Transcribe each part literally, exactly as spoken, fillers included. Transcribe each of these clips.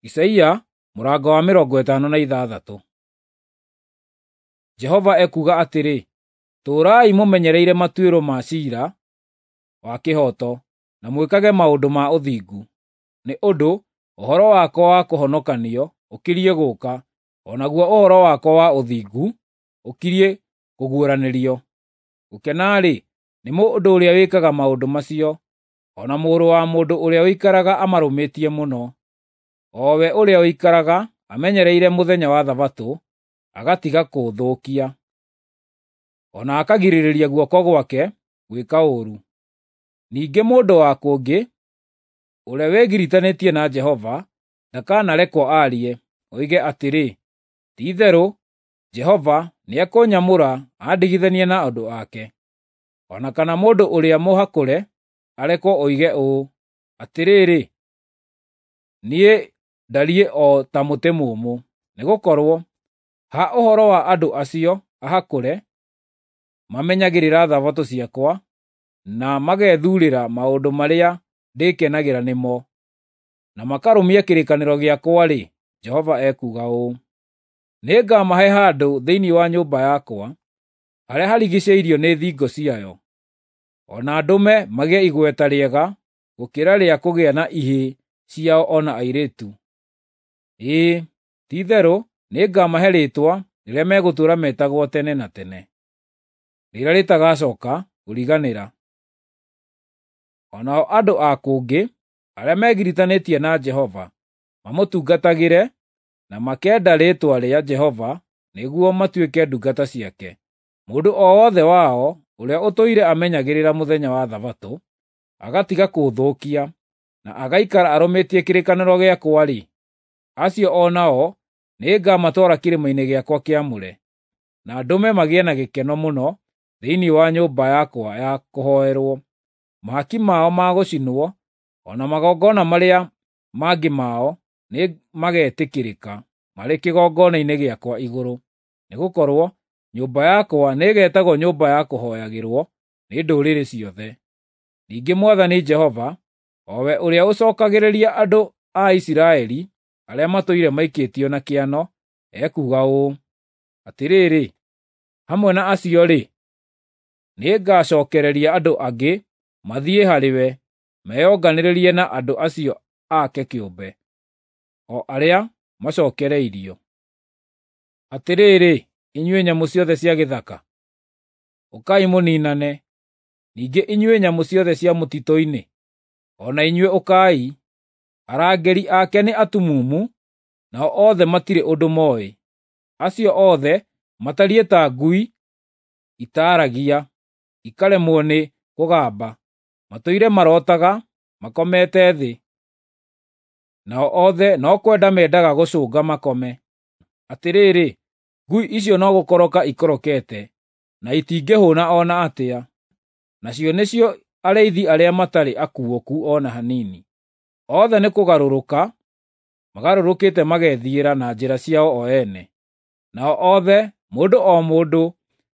Isaia mũrango wa mĩrongo ĩtano na ithathatũ. Jehova ekuuga atĩrĩ, tũũrai mũmenyereire matuĩro ma ciira wa kĩhooto, na mwĩkage maũndũ ma ũthingu, nĩ ũndũ ũhoro wakwa wa kũhonokanio ũkiriĩ gũũka, o naguo ũhoro wakwa wa ũthingu ũkiriĩ kũguũranĩrio. Gũkena-rĩ, nĩ mũndũ ũrĩa wĩkaga maũndũ macio, o na mũrũ wa mũndũ ũrĩa ũikaraga amarũmĩtie mũno, o we ũrĩa ũikaraga amenyereire mũthenya wa Thabatũ, agatiga kũũthũkia, o na akagirĩrĩria guoko gwake gwĩka ũũru. Ningĩ mũndũ wa kũngĩ, ũrĩa wĩgiritanĩtie na Jehova, ndakanarekwo aarie, oige atĩrĩ, “Ti-itherũ Jehova nĩekũnyamũra andigithanie na andũ ake.” O na kana mũndũ ũrĩa mũhakũre arekwo oige ũũ, “Atĩrĩrĩ, niĩ ndariĩ o ta mũtĩ mũũmũ.” Nĩgũkorwo ha ũhoro wa andũ acio ahakũre, mamenyagĩrĩra Thabatũ ciakwa na magethuurĩra maũndũ marĩa ndĩkenagĩra nĩmo, na makarũmia kĩrĩkanĩro gĩakwa-rĩ, Jehova ekuuga ũũ: Nĩngamahe handũ thĩinĩ wa nyũmba yakwa, harĩa harigiicĩirio nĩ thingo ciayo, o na ndũme magĩe igweta rĩega gũkĩra rĩa kũgĩa na ihĩĩ ciao o na airĩtu. Ĩĩ, ti-itherũ nĩngamahe rĩĩtwa rĩrĩa megũtũũra metagwo tene na tene, rĩrĩa rĩtagacooka kũriganĩra. O nao andũ a kũngĩ arĩa megiritanĩtie na Jehova mamũtungatagĩre na makenda rĩĩtwa rĩa Jehova nĩguo matuĩke ndungata ciake. Mũndũ o wothe wao ũrĩa ũtũire amenyagĩrĩra mũthenya wa Thabatũ, agatiga kũũthũkia, na agaikara arũmĩtie kĩrĩkanĩro gĩakwa-rĩ, acio o nao nĩngamatwara kĩrĩma-inĩ gĩakwa kĩamũre, na ndũme magĩe na gĩkeno mũno thĩinĩ wa nyũmba yakwa ya kũhooerwo. Mahaki mao ma gũcinwo o na magongona marĩa mangĩ mao nĩmagetĩkĩrĩka marĩ kĩgongona-inĩ gĩakwa igũrũ, nĩgũkorwo nyũmba yakwa nĩĩgetagwo nyũmba ya kũhooyagĩrwo nĩ ndũrĩrĩ ciothe. Ningĩ Mwathani Jehova, o we ũrĩa ũcookagĩrĩria andũ a Isiraeli arĩa matũire maikĩtio na kĩano, ekuuga ũũ: Atĩrĩrĩ, hamwe na acio-rĩ, nĩngacookereria andũ angĩ mathiĩ harĩwe meyonganĩrĩrie na andũ acio ake kĩũmbe, o arĩa macookereirio. Atĩrĩrĩ, inyuĩ nyamũ ciothe cia gĩthaka, ũkai mũniinane! Ningĩ inyuĩ nyamũ ciothe cia mũtitũ-inĩ, o na inyuĩ ũkai! Arangĩri ake nĩ atumumu, nao othe matirĩ ũndũ mooĩ. Acio othe matariĩ ta ngui itaaragia, ikaremwo nĩ kũgamba; matũire marootaga makomete thĩ, nao othe no kwenda mendaga gũcũnga makome. Atĩrĩrĩ, ngui icio no gũkoroka ikorokete, na itingĩhũũna o na atĩa, nacio nĩcio arĩithi arĩa matarĩ akuũku o na hanini. Othe nĩkũgarũrũka magarũrũkĩte magethiĩra na njĩra ciao o ene, nao othe, mũndũ o mũndũ,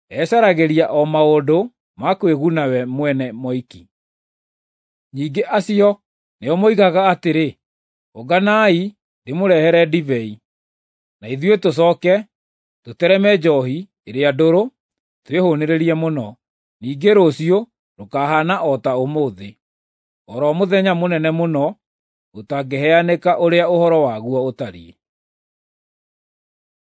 ecaragĩria o maũndũ ma kwĩguna we mwene moiki. Ningĩ acio nĩo moigaga atĩrĩ, “Ũnganai ndĩmũrehere ndibei, na ithuĩ tũcooke tũtereme njoohi ĩrĩa ndũrũ twĩhũũnĩrĩrie mũno. Ningĩ rũciũ rũkahaana o ta ũmũthĩ, o ro mũthenya mũnene mũno ũtangĩheanĩka ũrĩa ũhoro waguo ũtariĩ.”